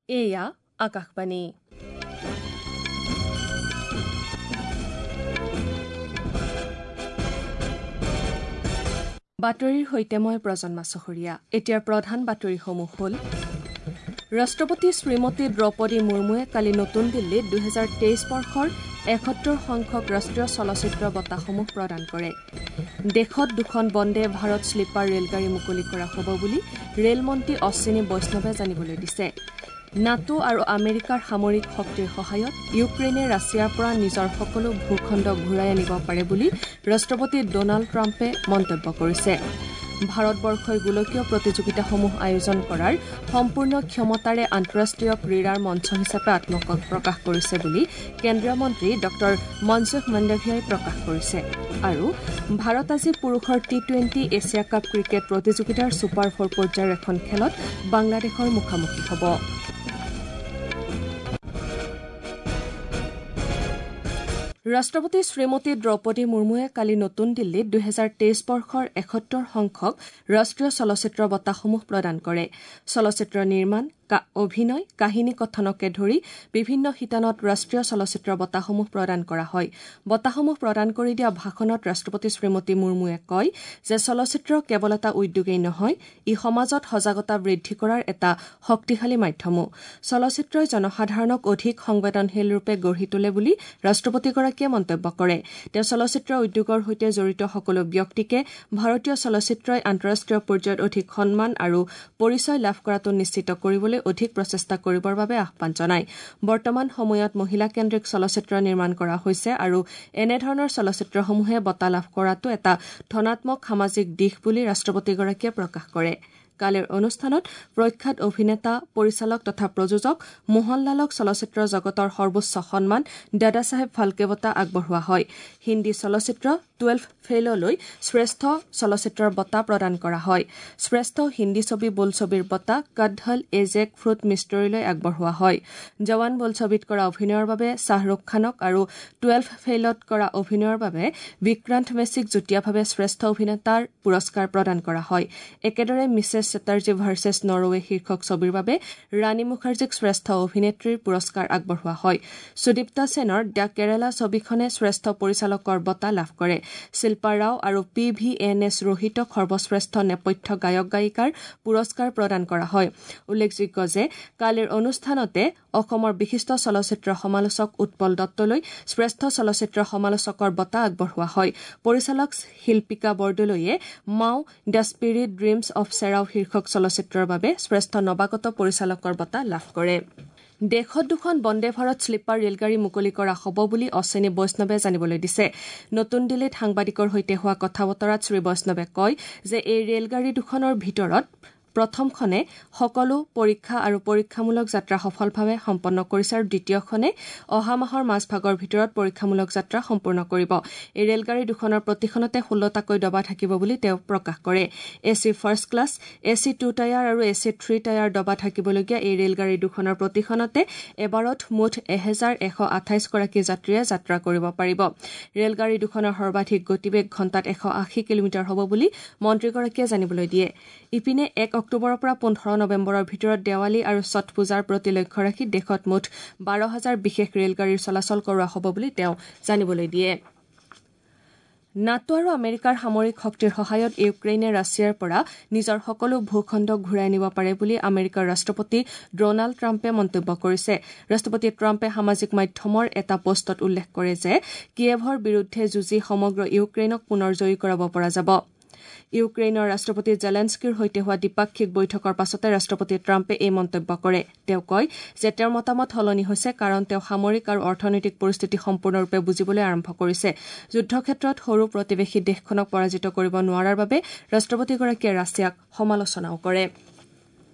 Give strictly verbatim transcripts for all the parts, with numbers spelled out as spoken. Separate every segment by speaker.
Speaker 1: এয়া আকাশবাণী। বাতৰিৰ সৈতে মই প্ৰজন্মা চহৰীয়া। এতিয়াৰ প্ৰধান বাতৰিসমূহ হ'ল: ৰাষ্ট্ৰপতি শ্ৰীমতী দ্ৰৌপদী মুৰ্মুৱে কালি নতুন দিল্লীত দুহেজাৰ তেইছ বৰ্ষৰ এসত্তৰ সংখ্যক ৰাষ্ট্ৰীয় চলচ্চিত্ৰ বঁটাসমূহ প্ৰদান কৰে। দেশত দুখন বন্দে ভাৰত শ্লীপাৰ ৰেলগাড়ী মুকলি কৰা হ'ব বুলি ৰেলমন্ত্ৰী অশ্বিনী বৈষ্ণৱে জানিবলৈ দিছে। নাটো আৰু আমেৰিকাৰ সামৰিক শক্তিৰ সহায়ত ইউক্ৰেইনে ৰাছিয়াৰ পৰা নিজৰ সকলো ভূখণ্ড ঘূৰাই আনিব পাৰে বুলি ৰাষ্ট্ৰপতি ডনাল্ড ট্ৰাম্পে মন্তব্য কৰিছে। ভাৰতবৰ্ষই গোলকীয় প্ৰতিযোগিতাসমূহ আয়োজন কৰাৰ সম্পূৰ্ণ ক্ষমতাৰে আন্তঃৰাষ্ট্ৰীয় ক্ৰীড়াৰ মঞ্চ হিচাপে আত্মপ্ৰকাশ কৰিছে বুলি কেন্দ্ৰীয় মন্ত্ৰী ডঃ মনসুখ মাণ্ডভিয়াই প্ৰকাশ কৰিছে। আৰু ভাৰত আজি পুৰুষৰ T twenty Asia cup cricket প্ৰতিযোগিতাৰ ছুপাৰ ফ'ৰ পৰ্যায়ৰ এখন খেলত বাংলাদেশৰ মুখামুখি হ'ব। ৰাষ্ট্ৰপতি শ্ৰীমতী দ্ৰৌপদী মুৰ্মুৱে কালি নতুন দিল্লীত দুহেজাৰ তেইছ বৰ্ষৰ এসত্তৰ সংখ্যক ৰাষ্ট্ৰীয় চলচ্চিত্ৰ বঁটাসমূহ প্ৰদান কৰে। চলচ্চিত্ৰ নিৰ্মাণ, অভিনয়, কাহিনী কথনকে ধৰি বিভিন্ন শিতানত ৰাষ্ট্ৰীয় চলচ্চিত্ৰ বঁটাসমূহ প্ৰদান কৰা হয়। বঁটাসমূহ প্ৰদান কৰি দিয়া ভাষণত ৰাষ্ট্ৰপতি শ্ৰীমতী মুৰ্মুৱে কয় যে চলচ্চিত্ৰ কেৱল এটা উদ্যোগেই নহয়, ই সমাজত সজাগতা বৃদ্ধি কৰাৰ এটা শক্তিশালী মাধ্যমো। চলচ্চিত্ৰই জনসাধাৰণক অধিক সংবেদনশীলৰূপে গঢ়ি তোলে বুলি ৰাষ্ট্ৰপতিগৰাকীয়ে মন্তব্য কৰে। তেওঁ চলচ্চিত্ৰ উদ্যোগৰ সৈতে জড়িত সকলো ব্যক্তিকে ভাৰতীয় চলচ্চিত্ৰই আন্তঃৰাষ্ট্ৰীয় পৰ্যায়ত অধিক সন্মান আৰু পৰিচয় লাভ কৰাটো নিশ্চিত কৰিবলৈ অধিক প্ৰচেষ্টা কৰিবৰ বাবে আহ্বান জনায়। বৰ্তমান সময়ত মহিলাকেন্দ্ৰিক চলচ্চিত্ৰ নিৰ্মাণ কৰা হৈছে আৰু এনেধৰণৰ চলচ্চিত্ৰসমূহে বঁটা লাভ কৰাটো এটা ধনাত্মক সামাজিক দিশ বুলি ৰাষ্ট্ৰপতিগৰাকীয়ে প্ৰকাশ কৰে। কালিৰ অনুষ্ঠানত প্ৰখ্যাত অভিনেতা, পৰিচালক তথা প্ৰযোজক মোহনলালক চলচ্চিত্ৰ জগতৰ সৰ্বোচ্চ সন্মান দাদাচাহেব ফাল্কে বঁটা আগবঢ়োৱা হয়। হিন্দী চলচ্চিত্ৰ টুৱেলভ ফেইললৈ শ্ৰেষ্ঠ চলচ্চিত্ৰৰ বঁটা প্ৰদান কৰা হয়। শ্ৰেষ্ঠ হিন্দী ছবি বোলছবিৰ বঁটা কডহল এ জেক ফ্ৰুট মিষ্টৰীলৈ আগবঢ়োৱা হয়। জৱান বোলছবিত কৰা অভিনয়ৰ বাবে শ্বাহৰুখ খানক আৰু টুৱেলভ ফেইলত কৰা অভিনয়ৰ বাবে বিক্ৰান্ত মেছিক যুটীয়াভাৱে শ্ৰেষ্ঠ অভিনেতাৰ পুৰস্কাৰ প্ৰদান কৰা হয়। একেদৰে মিছেছ চেটাৰ্জী ভাৰ্চেছ নৰৱে শীৰ্ষক ছবিৰ বাবে ৰাণী মুখাৰ্জীক শ্ৰেষ্ঠ অভিনেত্ৰীৰ পুৰস্কাৰ আগবঢ়োৱা হয়। সুদীপ্তা সেনৰ the কেৰালা ছবিখনে শ্ৰেষ্ঠ পৰিচালকৰ বঁটা লাভ কৰে। শিল্পা ৰাও আৰু পি ভি এন এছ ৰোহিতক সৰ্বশ্ৰেষ্ঠ নেপথ্য গায়ক গায়িকাৰ পুৰস্কাৰ প্ৰদান কৰা হয়। উল্লেখযোগ্য যে কালিৰ অনুষ্ঠানতে অসমৰ বিশিষ্ট চলচ্চিত্ৰ সমালোচক উৎপল দত্তলৈ শ্ৰেষ্ঠ চলচ্চিত্ৰ সমালোচকৰ বঁটা আগবঢ়োৱা হয়। পৰিচালক শিল্পিকা বৰদলৈয়ে Mau the spirit dreams of Cherao শীৰ্ষক চলচ্চিত্ৰৰ বাবে শ্ৰেষ্ঠ নৱাগত পৰিচালকৰ বঁটা লাভ কৰে। দেশত দুখন বন্দে ভাৰত শ্লীপাৰ ৰেলগাড়ী মুকলি কৰা হ'ব বুলি অশ্বিনী বৈষ্ণৱে জানিবলৈ দিছে। নতুন দিল্লীত সাংবাদিকৰ সৈতে হোৱা কথা বতৰাত শ্ৰী বৈষ্ণৱে কয় যে এই ৰেলগাড়ী দুখনৰ ভিতৰত প্ৰথমখনে সকলো পৰীক্ষা আৰু পৰীক্ষামূলক যাত্ৰা সফলভাৱে সম্পন্ন কৰিছে আৰু দ্বিতীয়খনে অহা মাহৰ মাজভাগৰ ভিতৰত পৰীক্ষামূলক যাত্ৰা সম্পূৰ্ণ কৰিব। এই ৰেলগাড়ী দুখনৰ প্ৰতিখনতে ষোল্লটাকৈ ডবা থাকিব বুলি তেওঁ প্ৰকাশ কৰে। A C first class, A C two tier আৰু এ চি থ্ৰী টায়াৰ ডবা থাকিবলগীয়া এই ৰেলগাড়ী দুখনৰ প্ৰতিখনতে এবাৰত মুঠ এহেজাৰ এশ আঠাইছগৰাকী যাত্ৰীয়ে যাত্ৰা কৰিব পাৰিব। ৰেলগাড়ী দুখনৰ সৰ্বাধিক গতিবেগ ঘণ্টাত এশ আশী কিলোমিটাৰ হ'ব বুলি মন্ত্ৰীগৰাকীয়ে জানিবলৈ দিয়ে। ইপিনে এক অক্টোবৰৰ পৰা পোন্ধৰ নৱেম্বৰৰ ভিতৰত দেৱালী আৰু ছট পূজাৰ প্ৰতি লক্ষ্য ৰাখি দেশত মুঠ বাৰ হাজাৰ বিশেষ ৰেলগাড়ীৰ চলাচল কৰোৱা হ'ব বুলি তেওঁ জানিবলৈ দিয়ে। নাটো আৰু আমেৰিকাৰ সামৰিক শক্তিৰ সহায়ত ইউক্ৰেইনে ৰাছিয়াৰ পৰা নিজৰ সকলো ভূখণ্ড ঘূৰাই আনিব পাৰে বুলি আমেৰিকাৰ ৰাষ্ট্ৰপতি ডনাল্ড ট্ৰাম্পে মন্তব্য কৰিছে। ৰাষ্ট্ৰপতি ট্ৰাম্পে সামাজিক মাধ্যমৰ এটা পোষ্টত উল্লেখ কৰে যে কিয়েভৰ বিৰুদ্ধে যুঁজি সমগ্ৰ ইউক্ৰেইনক পুনৰ জয়ী কৰাব পৰা যাব। ইউক্ৰেইনৰ ৰাষ্ট্ৰপতি জেলেনস্কিৰ সৈতে হোৱা দ্বিপাক্ষিক বৈঠকৰ পাছতে ৰাষ্ট্ৰপতি ট্ৰাম্পে এই মন্তব্য কৰে। তেওঁ কয় যে তেওঁৰ মতামত সলনি হৈছে কাৰণ তেওঁ সামৰিক আৰু অৰ্থনৈতিক পৰিস্থিতি সম্পূৰ্ণৰূপে বুজিবলৈ আৰম্ভ কৰিছে। যুদ্ধক্ষেত্ৰত সৰু প্ৰতিবেশী দেশখনক পৰাজিত কৰিব নোৱাৰাৰ বাবে ৰাষ্ট্ৰপতিগৰাকীয়ে ৰাছিয়াক সমালোচনাও কৰে।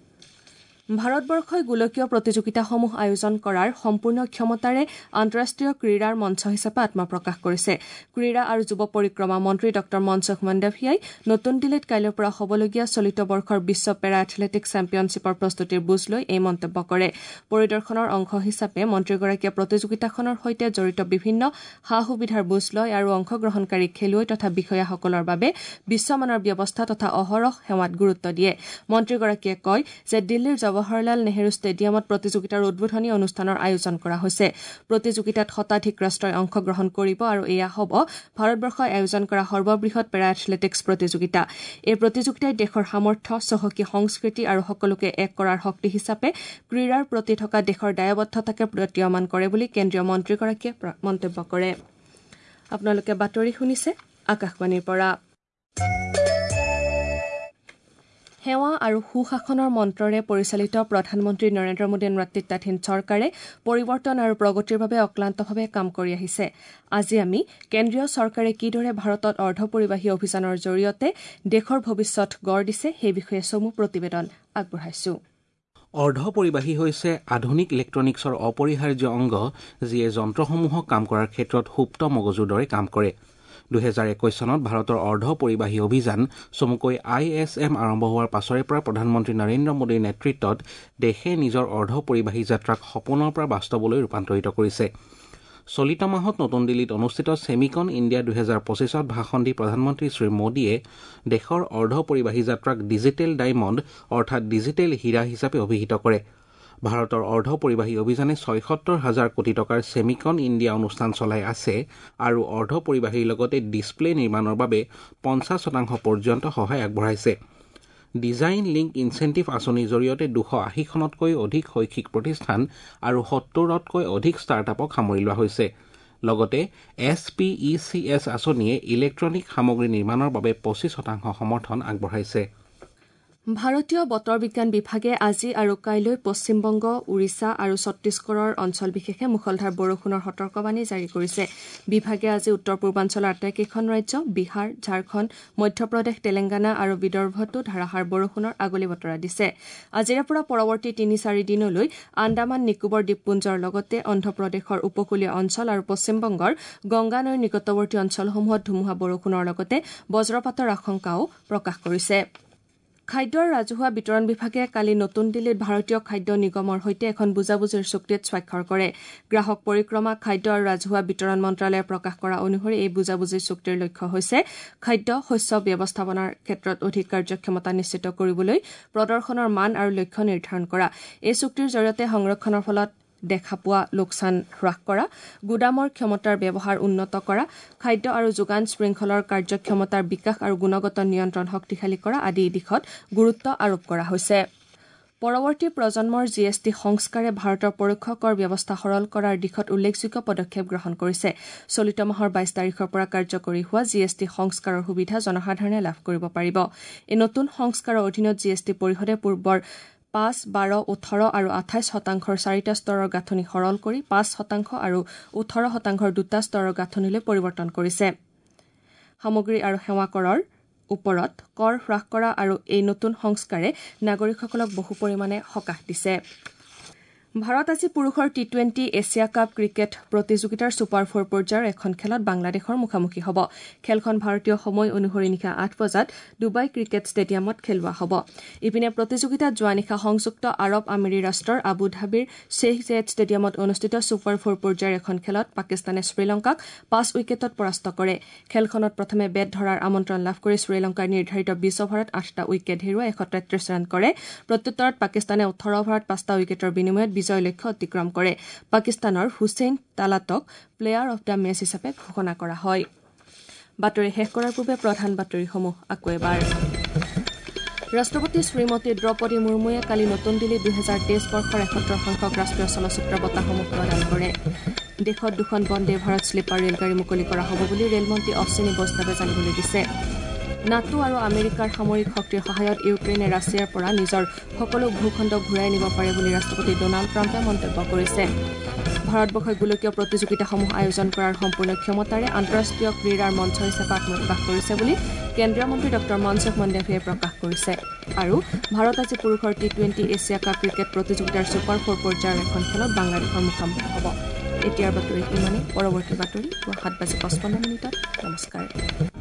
Speaker 1: ভাৰতবৰ্ষই গোলকীয় প্ৰতিযোগিতাসমূহ আয়োজন কৰাৰ সম্পূৰ্ণ ক্ষমতাৰে আন্তঃৰাষ্ট্ৰীয় ক্ৰীড়াৰ মঞ্চ হিচাপে আত্মপ্ৰকাশ কৰিছে। ক্ৰীড়া আৰু যুৱ পৰিক্ৰমা মন্ত্ৰী ডঃ মনসুখ মাণ্ডভিয়াই নতুন দিল্লীত কাইলৈৰ পৰা হ'বলগীয়া চলিত বৰ্ষৰ বিশ্ব পেৰা এথলেটিক চেম্পিয়নশ্বিপৰ প্ৰস্তুতিৰ বুজ লৈ এই মন্তব্য কৰে। পৰিদৰ্শনৰ অংশ হিচাপে মন্ত্ৰীগৰাকীয়ে প্ৰতিযোগিতাখনৰ সৈতে জড়িত বিভিন্ন সা সুবিধাৰ বুজ লয় আৰু অংশগ্ৰহণকাৰী খেলুৱৈ তথা বিষয়াসকলৰ বাবে বিশ্বমানৰ ব্যৱস্থা তথা অহৰহ সেৱাত গুৰুত্ব দিয়ে। মন্ত্ৰীগৰাকীয়ে কয় যে দিল্লীৰ জৱাহৰলাল নেহৰু ষ্টেডিয়ামত প্ৰতিযোগিতাৰ উদ্বোধনী অনুষ্ঠানৰ আয়োজন কৰা হৈছে। প্ৰতিযোগিতাত শতাধিক ৰাষ্ট্ৰই অংশগ্ৰহণ কৰিব আৰু এয়া হ'ব ভাৰতবৰ্ষই আয়োজন কৰা সৰ্ববৃহৎ পেৰা এথলেটিকছ প্ৰতিযোগিতা। এই প্ৰতিযোগিতাই দেশৰ সামৰ্থ্য, চহকী সংস্কৃতি আৰু সকলোকে এক কৰাৰ শক্তি হিচাপে ক্ৰীড়াৰ প্ৰতি থকা দেশৰ দায়বদ্ধতাকে প্ৰতীয়মান কৰে বুলি কেন্দ্ৰীয় মন্ত্ৰীগৰাকীয়ে মন্তব্য কৰে। আপোনালোকে বাতৰি শুনিছে আকাশবাণীৰ পৰা। সেৱা আৰু সুশাসনৰ মন্ত্ৰৰে পৰিচালিত প্ৰধানমন্ত্ৰী নৰেন্দ্ৰ মোদীৰ নেতৃত্বাধীন চৰকাৰে পৰিৱৰ্তন আৰু প্ৰগতিৰ বাবে অক্লান্তভাৱে কাম কৰি আহিছে। আজি আমি কেন্দ্ৰীয় চৰকাৰে কিদৰে ভাৰতত অৰ্ধপৰিবাহী অভিযানৰ জৰিয়তে দেশৰ ভৱিষ্যত গঢ় দিছে সেই বিষয়ে চমু প্ৰতিবেদন আগবঢ়াইছো।
Speaker 2: অৰ্ধপৰিবাহী হৈছে আধুনিক ইলেক্ট্ৰনিক্সৰ অপৰিহাৰ্য অংগ, যিয়ে যন্ত্ৰসমূহক কাম কৰাৰ ক্ষেত্ৰত সুপ্ত মগজুৰ দৰে কাম কৰে। দুহেজাৰ একৈশ চনত ভাৰতৰ অৰ্ধপৰিবাহী অভিযান চমুকৈ I S M আৰম্ভ হোৱাৰ পাছৰে পৰা প্ৰধানমন্ত্ৰী নৰেন্দ্ৰ মোদীৰ নেতৃত্বত দেশে নিজৰ অৰ্ধপৰিবাহী যাত্ৰাক সপোনৰ পৰা বাস্তৱলৈ ৰূপান্তৰিত কৰিছে। চলিত মাহত নতুন দিল্লীত অনুষ্ঠিত ছেমিকন ইণ্ডিয়া দুহেজাৰ পঁচিছত ভাষণ দি প্ৰধানমন্ত্ৰী শ্ৰী মোদীয়ে দেশৰ অৰ্ধপৰিবাহী যাত্ৰাক ডিজিটেল ডায়মণ্ড অৰ্থাৎ ডিজিটেল হীৰা হিচাপে অভিহিত কৰে। ভাৰতৰ অৰ্ধপৰিবাহী অভিযানে ছয়সত্তৰ হাজাৰ কোটি টকাৰ ছেমিকন ইণ্ডিয়া অনুষ্ঠান চলাই আছে আৰু অৰ্ধপৰিবাহীৰ লগতে ডিছপ্লে নিৰ্মাণৰ বাবে পঞ্চাছ শতাংশ পৰ্যন্ত সহায় আগবঢ়াইছে। ডিজাইন লিংক ইনচেণ্টিভ আঁচনিৰ জৰিয়তে দুশ আশীখনতকৈ অধিক শৈক্ষিক প্ৰতিষ্ঠান আৰু সত্তৰতকৈ অধিক ষ্টাৰ্টআপক সামৰি লোৱা হৈছে। লগতে S P E C S আঁচনিয়ে ইলেক্ট্ৰনিক সামগ্ৰী নিৰ্মাণৰ বাবে পঁচিছ শতাংশ সমৰ্থন আগবঢ়াইছে।
Speaker 1: ভাৰতীয় বতৰ বিজ্ঞান বিভাগে আজি আৰু কাইলৈ পশ্চিমবংগ, ওড়িশা আৰু ছত্তীশগড়ৰ অঞ্চল বিশেষে মুষলধাৰ বৰষুণৰ সতৰ্কবাণী জাৰি কৰিছে। বিভাগে আজি উত্তৰ পূৰ্বাঞ্চলৰ আটাইকেইখন ৰাজ্য বিহাৰ, ঝাৰখণ্ড, মধ্যপ্ৰদেশ, তেলেংগানা আৰু বিদৰ্ভতো ধাৰাসাৰ বৰষুণৰ আগলি বতৰা দিছে। আজিৰে পৰা পৰৱৰ্তী তিনি চাৰি দিনলৈ আন্দামান নিকোবৰ দ্বীপপুঞ্জৰ লগতে অন্ধ্ৰপ্ৰদেশৰ উপকূলীয় অঞ্চল আৰু পশ্চিমবংগৰ গংগা নৈৰ নিকটৱৰ্তী অঞ্চলসমূহত ধুমুহা বৰষুণৰ লগতে বজ্ৰপাতৰ আশংকাও প্ৰকাশ কৰিছে। খাদ্য আৰু ৰাজহুৱা বিতৰণ বিভাগে কালি নতুন দিল্লীত ভাৰতীয় খাদ্য নিগমৰ সৈতে এখন বুজাবুজিৰ চুক্তিত স্বাক্ষৰ কৰে। গ্ৰাহক পৰিক্ৰমা, খাদ্য আৰু ৰাজহুৱা বিতৰণ মন্ত্ৰালয়ে প্ৰকাশ কৰা অনুসৰি এই বুজাবুজিৰ চুক্তিৰ লক্ষ্য হৈছে খাদ্য শস্য ব্যৱস্থাপনাৰ ক্ষেত্ৰত অধিক কাৰ্যক্ষমতা নিশ্চিত কৰিবলৈ প্ৰদৰ্শনৰ মান আৰু লক্ষ্য নিৰ্ধাৰণ কৰা। এই চুক্তিৰ জৰিয়তে সংৰক্ষণৰ ফলত দেখা পোৱা লোকচান হ্ৰাস কৰা, গুদামৰ ক্ষমতাৰ ব্যৱহাৰ উন্নত কৰা, খাদ্য আৰু যোগান শৃংখলৰ কাৰ্যক্ষমতাৰ বিকাশ আৰু গুণগত নিয়ন্ত্ৰণ শক্তিশালী কৰা আদি দিশত গুৰুত্ব আৰোপ কৰা হৈছে। পৰৱৰ্তী প্ৰজন্মৰ জি এছ টি সংস্কাৰে ভাৰতৰ পৰোক্ষ কৰ ব্যৱস্থা সৰল কৰাৰ দিশত উল্লেখযোগ্য পদক্ষেপ গ্ৰহণ কৰিছে। চলিত মাহৰ বাইছ তাৰিখৰ পৰা কাৰ্যকৰী হোৱা জি এছ টি সংস্কাৰৰ সুবিধা জনসাধাৰণে লাভ কৰিব পাৰিব। এই নতুন সংস্কাৰৰ অধীনত জি এছ টি পৰিষদে পূৰ্বৰ পাঁচ, বাৰ, ওঠৰ আৰু আঠাইছ শতাংশৰ চাৰিটা স্তৰৰ গাঁথনি সৰল কৰি পাঁচ শতাংশ আৰু ওঠৰ শতাংশৰ দুটা স্তৰৰ গাঁথনিলৈ পৰিৱৰ্তন কৰিছে। সামগ্ৰী আৰু সেৱা কৰৰ ওপৰত কৰ হ্ৰাস কৰা আৰু এই নতুন সংস্কাৰে নাগৰিকসকলক বহু পৰিমাণে সকাহ দিছে। ভাৰত আজি পুৰুষৰ T twenty Asia cup cricket প্ৰতিযোগিতাৰ ছুপাৰ ফ'ৰ পৰ্যায়ৰ এখন খেলত বাংলাদেশৰ মুখামুখি হ'ব। খেলখন ভাৰতীয় সময় অনুসৰি নিশা আঠ বজাত ডুবাই ক্ৰিকেট ষ্টেডিয়ামত খেলোৱা হ'ব। ইপিনে প্ৰতিযোগিতাত যোৱা নিশা সংযুক্ত আৰৱ আমিৰী ৰাষ্ট্ৰৰ আবু ধাবিৰ শ্বেইখ জেয়েদ ষ্টেডিয়ামত অনুষ্ঠিত ছুপাৰ ফ'ৰ পৰ্যায়ৰ এখন খেলত পাকিস্তানে শ্ৰীলংকাক পাঁচ উইকেটত পৰাস্ত কৰে। খেলখনত প্ৰথমে বেট ধৰাৰ আমন্ত্ৰণ লাভ কৰি শ্ৰীলংকাই নিৰ্ধাৰিত বিছ অভাৰত আঠটা উইকেট হেৰুৱাই এশ তেত্ৰিছ ৰান কৰে। প্ৰত্যুত্তৰত পাকিস্তানে ওঠৰ অভাৰত পাঁচটা উইকেটৰ বিনিময়ত বিজয় লক্ষ্য অতিক্ৰম কৰে। পাকিস্তানৰ হুছেইন তালাতক প্লেয়াৰ অফ the match হিচাপে ঘোষণা কৰা হয়। বাতৰি শেষ কৰাৰ পূৰ্বে প্ৰধান বাতৰিসমূহ আকৌ এবাৰ। ৰাষ্ট্ৰপতি শ্ৰীমতী দ্ৰৌপদী মুৰ্মুৱে কালি নতুন দিল্লীত দুহেজাৰ তেইছ বৰ্ষৰ এসত্তৰ সংখ্যক ৰাষ্ট্ৰীয় চলচ্চিত্ৰ বঁটাসমূহ প্ৰদান কৰে। দেশত দুখন বন্দে ভাৰত শ্লীপাৰ ৰেলগাড়ী মুকলি কৰা হ'ব বুলি ৰেলমন্ত্ৰী অশ্বিনী বৈষ্ণৱে জানিবলৈ দিছে। নাটো আৰু আমেৰিকাৰ সামৰিক শক্তিৰ সহায়ত ইউক্ৰেইনে ৰাছিয়াৰ পৰা নিজৰ সকলো ভূখণ্ড ঘূৰাই নিব পাৰে বুলি ৰাষ্ট্ৰপতি ডনাল্ড ট্ৰাম্পে মন্তব্য কৰিছে। ভাৰতবৰ্ষই গোলকীয় প্ৰতিযোগিতাসমূহ আয়োজন কৰাৰ সম্পূৰ্ণ ক্ষমতাৰে আন্তঃৰাষ্ট্ৰীয় ক্ৰীড়াৰ মঞ্চ হিচাপে আত্মপ্ৰকাশ কৰিছে বুলি কেন্দ্ৰীয় মন্ত্ৰী ডঃ মনসুখ মাণ্ডভিয়াই প্ৰকাশ কৰিছে। আৰু ভাৰত আজি পুৰুষৰ T twenty Asia cup cricket প্ৰতিযোগিতাৰ ছুপাৰ ফ'ৰ পৰ্যায়ৰ এখন খেলত বাংলাদেশৰ মুখামুখি হ'ব। এতিয়াৰ বাতৰি ইমানেই। পৰৱৰ্তী বাতৰি পুৱা সাত বাজি পঁচপন্ন মিনিটত। নমস্কাৰ।